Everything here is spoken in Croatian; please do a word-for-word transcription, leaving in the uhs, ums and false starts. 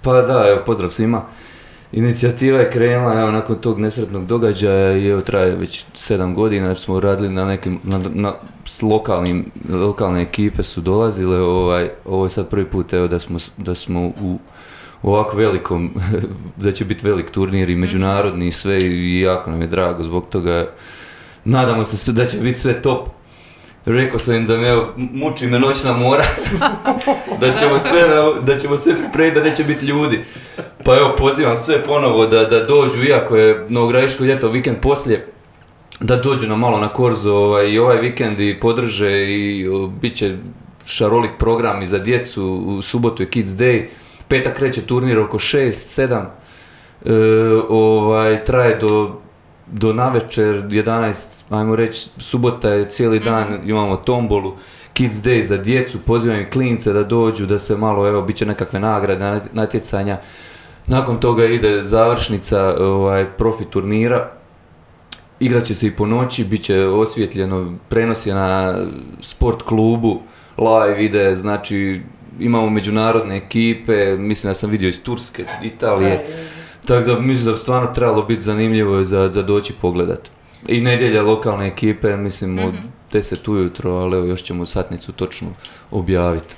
Pa da, evo, pozdrav svima. Inicijativa je krenula, evo, nakon tog nesretnog događaja i evo, traje već sedam godina jer smo radili na nekim, na, na, s lokalnim, lokalne ekipe su dolazile, ovaj, ovo je sad prvi put, evo, da smo, da smo u, u ovako velikom, da će biti velik turnir i međunarodni i sve i jako nam je drago zbog toga. Nadamo se da će biti sve top. Rekao sam im da me, evo, muči me noćna mora, da ćemo sve, da ćemo sve pripremiti da neće biti ljudi. Pa evo, pozivam sve ponovo da, da dođu, iako je Novogradiško ljeto vikend poslije, da dođu nam malo na Korzo ovaj, i ovaj vikend i podrže i o, bit će šarolik program i za djecu, u subotu je Kids Day, petak kreće turnir oko šest sedam, e, ovaj, traje do do navečer, jedanaest, ajmo reći, subota je cijeli dan, mm-hmm. imamo tombolu, Kids Day za djecu, pozivam i klince da dođu, da se malo, evo, bit će nekakve nagrade, natjecanja. Nakon toga ide završnica ovaj, profi turnira, igrat će se i po noći, bit će osvjetljeno, prenos je na sport klubu, live ide, znači imamo međunarodne ekipe, mislim da sam vidio iz Turske, Italije. Tako da mislim da bi stvarno trebalo biti zanimljivo za, za doći pogledat. I nedjelja lokalne ekipe, mislim od deset ujutro, ali evo još ćemo satnicu točno objaviti.